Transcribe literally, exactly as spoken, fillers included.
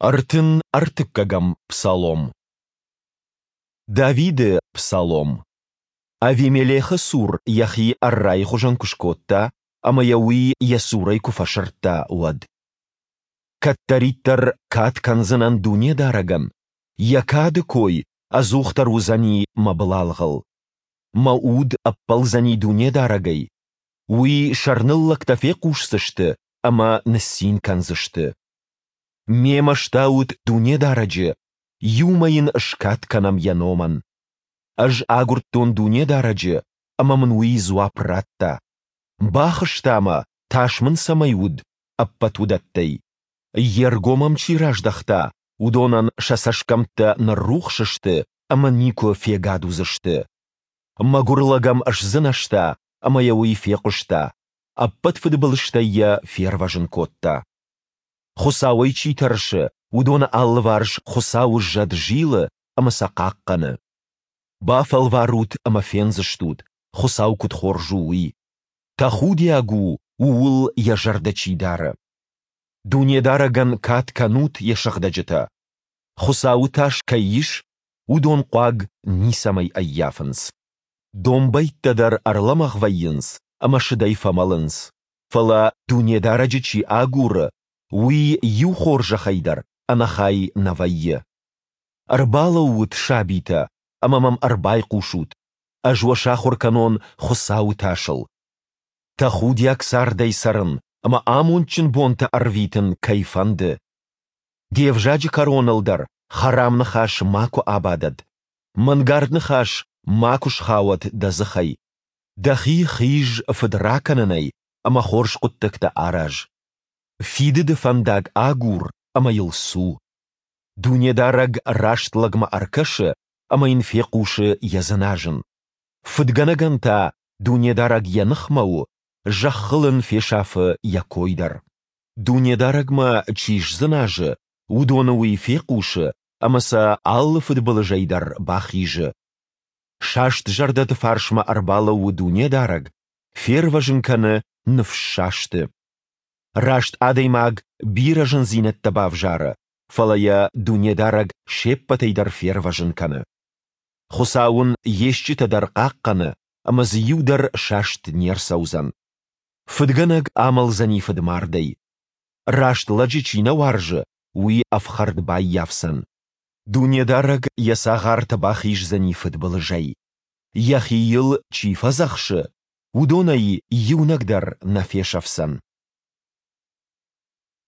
Ӕртын ӕртыккӕгӕм псалом. Давиды псалом. Авимелехы цур йӕхи ӕррайы хуызӕн куы скодта ӕмӕ йӕ уый йӕ цурӕй куы фӕсырдта, уӕд. Кӕддӕриддӕр кад кӕндзынӕн Дунедарӕгӕн, Йӕ кады кой ӕдзухдӕр уыдзӕни мӕ былалгъыл. Мӕ уд ӕппӕлдзӕни Дунедарӕгӕй. Уый сӕрныллӕгтӕ фехъусдзысты ӕмӕ ныццин кӕндзысты. Мемӕ стаут Дунедарӕджы, иумӕ Йын скад кӕнӕм Йӕ номӕн. Ӕз агуырдтон Дунедарӕджы, ӕмӕ мын Уый дзуапп радта. Бахызта мӕ, тас мын цӕмӕй уыд, ӕппӕт уыдӕттӕй. Йе ргом ӕм чи раздӕхта, уыдонӕн сӕ цӕсгӕмттӕ ныррухс сты ӕмӕ никуы фегад уыдзысты. Мӕгуыр лӕг ӕм сдзынӕзта, ӕмӕ йӕ уый фехъуыста, ӕппӕт фыдбылызтӕй йӕ фервӕзын кодта. Хуыцауӕй чи тӕрсы, уыдоны алыварс Хуыцауы зӕд зилы ӕмӕ сӕ хъахъхъӕны. Бафӕлварут ӕмӕ фендзыстут, Хуыцау куыд хорз у, уый. Тӕхудиаг у, ууыл йӕ зӕрдӕ чи дары. Дунедарӕгӕн кад кӕнут йӕ сыгъдӕджытӕ. Хуыцауы тас кӕй ис, уыдон хъуаг ницӕмӕй ӕййафынц. Домбӕйттӕ дӕр ӕрлӕмӕгъ вӕййынц ӕмӕ сыдӕй фӕмӕлынц, фӕлӕ Дунедарӕджы чи агуры, уый иу хорзӕхӕй дӕр ӕнӕхай нӕ вӕййы. Ӕрбалӕуут, сабитӕ, ӕмӕ мӕм ӕрбайхъусут, ӕз уӕ сахуыр кӕнон Хуыцауы тасыл. Тӕхудиаг цардӕй цӕрын ӕмӕ амондджын бонтӕ ӕрвитын кӕй фӕнды. Де взаджы кӕроныл дӕр хӕрам ныхас макуы абадӕд, мӕнгард ныхас макуы схауӕд дӕ дзыхӕй. Дӕхи хиз фыдракӕнынӕй ӕмӕ хорз хъуыддӕгтӕ араз. Фидыды фӕндаг агур ӕмӕ йыл цу. Дунедарӕг раст лӕгмӕ ӕркӕсы ӕмӕ йын фехъусы йӕ дзыназын. Фыдгӕнӕгӕн та Дунедарӕг йӕ ныхмӕ у, зӕххыл ын фесафы йӕ кой дӕр. Дунедарӕгмӕ чи сдзыназы, уыдоны уый фехъусы ӕмӕ сӕ алы фыдбылызӕй дӕр бахизы. Саст зӕрдӕты фарсмӕ ӕрбалӕууы Дунедарӕг, фервӕзын кӕны ныфссасты. Раст адӕймаг бирӕ зындзинӕдтӕ бавзары, фӕлӕ йӕ Дунедарӕг се ппӕтӕй дӕр фервӕзын кӕны. Хуыцау ын йе стджытӕ дӕр хъахъхъӕны, ӕмӕ дзы иу дӕр саст не рцӕудзӕн. Фыдгӕнӕг амӕлдзӕни фыдмардӕй. Раст лӕджы чи нӕ уарзы, уый ӕфхӕрд баййафдзӕн. Дунедарӕг йӕ цагъарты бахиздзӕни фыдбылызӕй. Йӕхи йыл чи фӕдзӕхсы, уыдонӕй иунӕг дӕр нӕ фесӕфдзӕн.